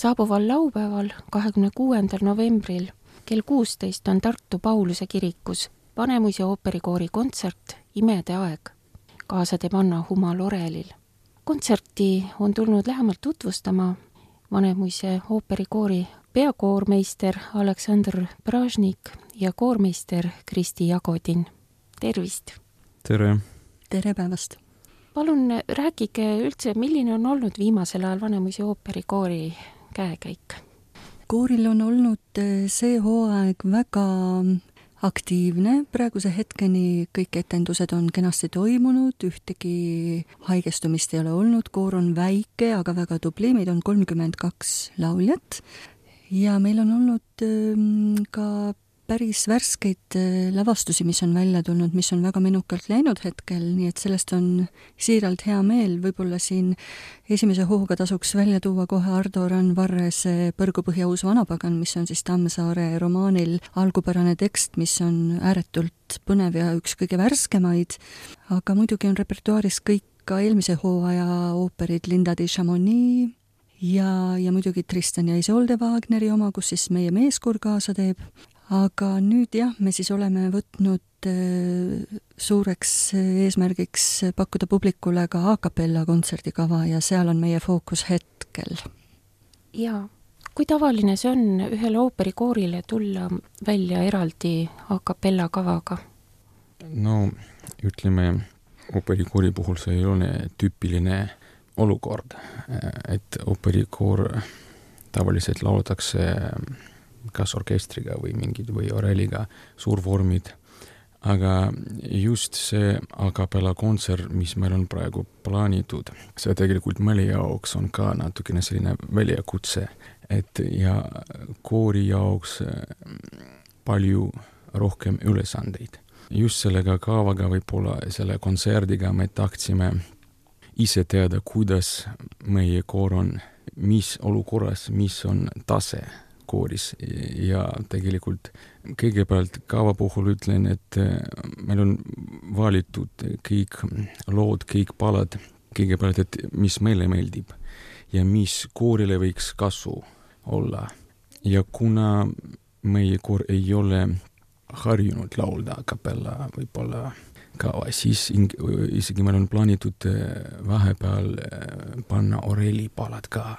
Saabuval laupäeval, 26. novembril kell 16 on Tartu Pauluse kirikus Vanemuise ooperikoori kontsert Imede aeg. Kaasa teeb Anna Huma-Lorelil. Kontserti on tulnud lähemalt tutvustama Vanemuise ooperikoori peakoormeister Aleksandr Pražnik ja koormeister Kristi Jagodin. Tervist! Tere! Tere päevast! Palun rääkige üldse, milline on olnud viimasel ajal Vanemuise ooperikoori käekäik? Kooril on olnud see hooaeg väga aktiivne. Praeguse hetkeni kõik etendused on kenasti toimunud, ühtegi haigestumist ei ole olnud. Koor on väike, aga väga tubli. Meid on 32 lauljat ja meil on olnud ka päris värskeid lavastusi, mis on välja tulnud, mis on väga menukalt läinud hetkel, nii et sellest on siiralt hea meel. Võib-olla siin esimese hooga tasuks välja tuua kohe Ardo Randvarrese Põrgupõhja uus vanapagan, mis on siis Tammsaare romaanil algupärane tekst, mis on ääretult põnev ja üks kõige värskemaid, aga muidugi on repertuaaris kõik ka eelmise hooaja ooperid Linda di Chamonix ja muidugi Tristan ja Isolde Wagneri oma, kus siis meie meeskoor kaasa teeb. Aga nüüd jah, me siis oleme võtnud suureks eesmärgiks pakkuda publikule ka a cappella kontserdikava ja seal on meie fookus hetkel. Jaa, kui tavaline see on ühele ooperikoorile tulla välja eraldi a cappella kavaga? No ütleme, ooperikoori puhul see ei ole tüüpiline olukord, et ooperikoor tavaliselt laulatakse kas orkestriga või mingid või oreliga suurvormid, aga just see a cappella kontsert, mis meil on praegu plaanitud, see tegelikult meile jaoks on ka natukene selline väljakutse, et ja koori jaoks palju rohkem ülesandeid. Just sellega kavaga võib-olla selle kontserdiga me tahtsime ise teada, kuidas meie koor on, mis olukorras, mis on tase kooris ja tegelikult kõigepealt kava puhul ütlen, et meil on valitud kõik lood, kõik palad kõigepealt, et mis meile meeldib ja mis koorile võiks kasu olla. Ja kuna meie koor ei ole harjunud laulda a cappella võib-olla kava, siis isegi meil on plaanitud vahepeal panna oreli palad ka,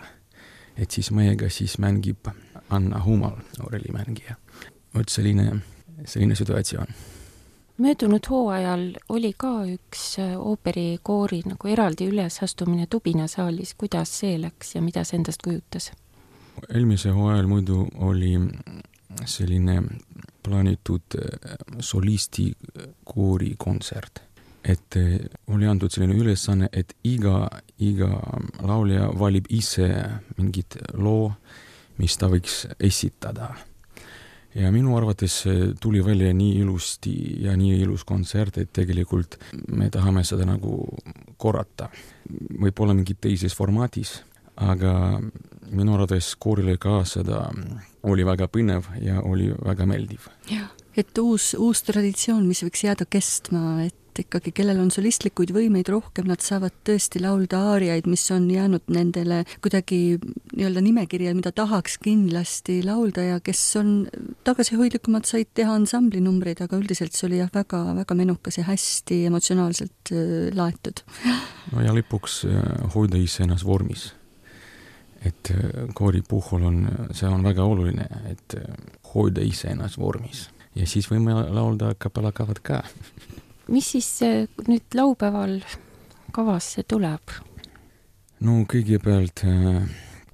et siis meiega siis mängib Anna Humal, oreli mängija. Vot selline situatsioon. Möödunud hooajal oli ka üks ooperikoori nagu eraldi ülesastumine Tubinasaalis. Kuidas see läks ja mida see endast kujutas? Eelmise hooajal muidu oli selline plaanitud solisti koori kontsert. Et oli antud selline ülesanne, et iga laulja valib ise mingit loo, mis ta võiks esitada. Ja minu arvates tuli välja nii ilusti ja nii ilus kontsert, et tegelikult me tahame seda nagu korrata. Võib-olla mingit teises formatis, aga minu arvates koorile ka seda oli väga põnev ja oli väga meeldiv. Ja, et uus traditsioon, mis võiks jääda kestma, et ikkagi kellel on solistlikuid võimeid rohkem, nad saavad tõesti laulda aariaid, mis on jäänud nendele kuidagi nii-öelda nimekirja, mida tahaks kindlasti laulda ja kes on tagasihoidlikumad, said teha ansamblinumbreid, aga üldiselt see oli jah väga, väga menukas ja hästi emotsionaalselt laetud. No ja lõpuks hoida ise ennast vormis. Et koori puhul see on väga oluline, et hoida ise ennast vormis. Ja siis võime laulda a cappella kavad ka. Mis siis nüüd laupäeval kavasse tuleb? No kõigepealt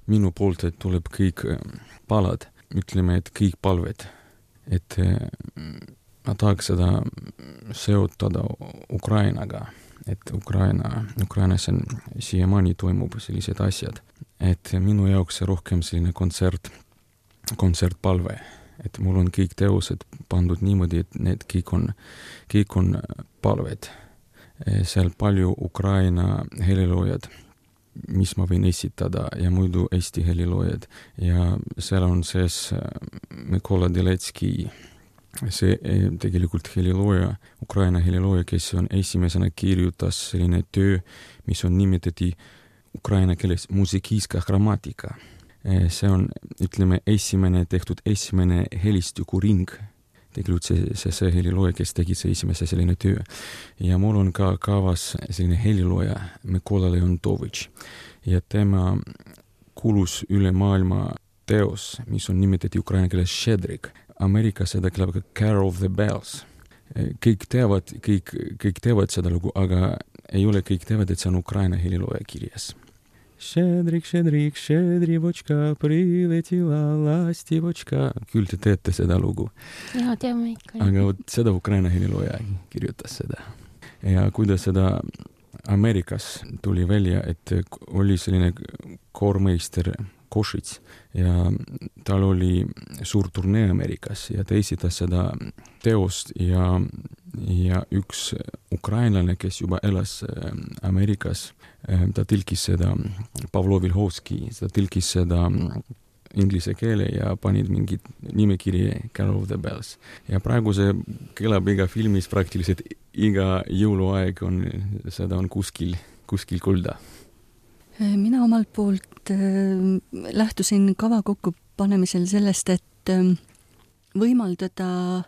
minu poolt, et tuleb kõik palad, ütleme, et kõik palved, et ma tahaks seda seotada Ukrainaga, et Ukrainas on siiamaani toimub sellised asjad, et minu jaoks rohkem selline kontsertpalve. Et mul on kõik teosed pandud niimoodi, et need kõik on palved. Seal palju Ukraina heliloojad, mis ma võin esitada ja muidu Eesti heliloojad. Ja seal on sees Mikola Deletski, see tegelikult helilooja, Ukraina helilooja, kes on esimesena kirjutas selline töö, mis on nimetati ukraina keeles musikijska grammatika. See on, ütleme, esimene helistukuring. Tegelikult see helilooja, kes tegi see esimese selline töö. Ja mul on ka kavas selline helilooja Mikola Leontovitš. Ja tema kuulus üle maailma teos, mis on nimetati ukraina keeles Šedrik. Ameerikas seda kõlab ka Carol of the Bells. Kõik teavad seda lugu, aga ei ole kõik teavad, et see on ukraina helilooja kirjas. Šedrik, šedrik, šedrivočka, priletila lastivočka. Küll te teete seda lugu. Jaa, teame ikka. Aga seda ukraina helilooja kirjutas seda. Ja kuidas seda Ameerikas tuli välja, et oli selline koormeister Košits ja tal oli suur turnee Ameerikas ja ta esitas seda teost ja üks ukrainlane, kes juba elas Ameerikas, ta tõlkis seda, Pavlo Vilhovski, ta tõlkis seda inglise keele ja panid mingid nimekiri Carol of the Bells. Ja praegu see kõlab iga filmis praktiliselt iga jõuluaeg seda on kuskil kuulda. Mina omalt poolt lähtusin kava kokkupanemisel sellest, et võimaldada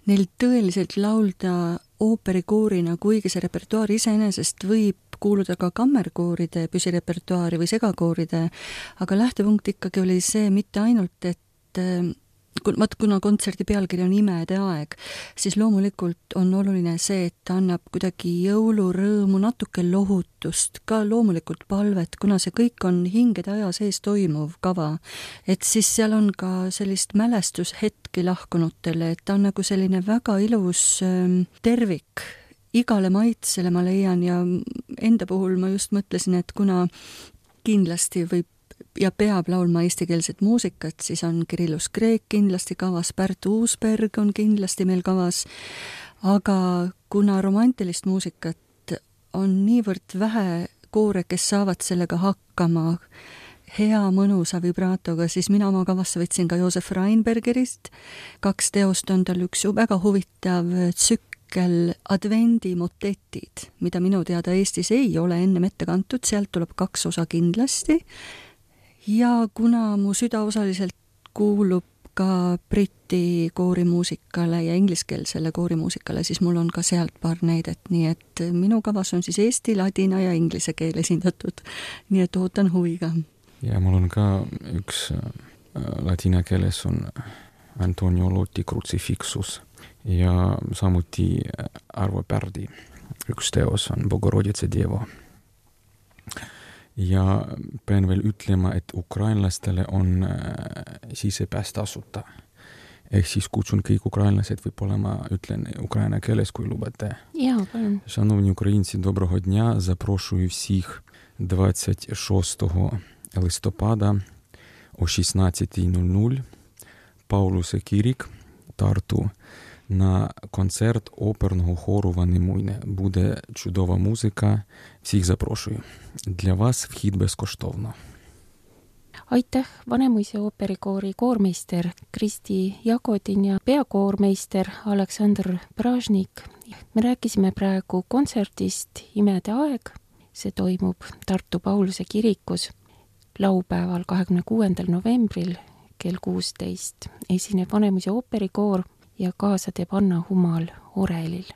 neil tõeliselt laulda ooperikoorina, kuigi see repertuaar iseenesest võib kuuluda ka kammerkooride püsirepertuaari või segakooride, aga lähtepunkt ikkagi oli see mitte ainult, et kuna kontserdi pealkiri on Imede aeg, siis loomulikult on oluline see, et ta annab kuidagi jõulurõõmu, natuke lohutust, ka loomulikult palvet, kuna see kõik on hingede aja sees toimuv kava, et siis seal on ka sellist mälestushetki lahkunutele, et ta on nagu selline väga ilus tervik, igale maitsele ma leian ja enda puhul ma just mõtlesin, et kuna kindlasti võib ja peab laulma eestikeelset muusikat, siis on Kirillus Kreek kindlasti kavas, Pärt Uusberg on kindlasti meil kavas, aga kuna romantilist muusikat on niivõrd vähe koore, kes saavad sellega hakkama hea mõnusa vibraatoga, siis mina oma kavasse võtsin ka Joosef Reinbergerist. 2 teost on tal üks väga huvitav tsükkel advendimotetid, mida minu teada Eestis ei ole ennem ette kantud, sealt tuleb 2 osa kindlasti. Ja kuna mu süda osaliselt kuulub ka briti koorimuusikale ja ingliskeelsele koorimuusikale, siis mul on ka sealt paar näidet, nii et minu kavas on siis eesti, ladina ja inglise keel esindatud, nii et ootan huviga. Ja mul on ka üks ladina keeles on Antonio Lotti Crucifixus ja samuti Arvo Pärdi üks teos on Bogoroditsa Devo. Ja pean veel ütlema, et ukrainlastele on sisepääs tasuta. Ehk siis kutsun kõik ukrainlased, võib-olla ma ütlen ukraina keeles, kui lubate. Jaa, palun. Шановні українці, доброго дня. Запрошую всіх 26 листопада о 16:00 Паулуса Кірік, Тарту, на концерт оперного хору «Ванемуйне». Буде чудова музика. Всіх запрошую. Для вас вхід безкоштовно. Aitäh, Vanemuise ooperikoori koormeister Kristi Jagodin ja peakoormeister Aleksandr Pražnik. Me rääkisime praegu kontserdist Imede aeg. See toimub Tartu Pauluse kirikus laupäeval 26. novembril kell 16. Esineb Vanemuise ooperikoor ja kaasa teeb Anna Humal orelil.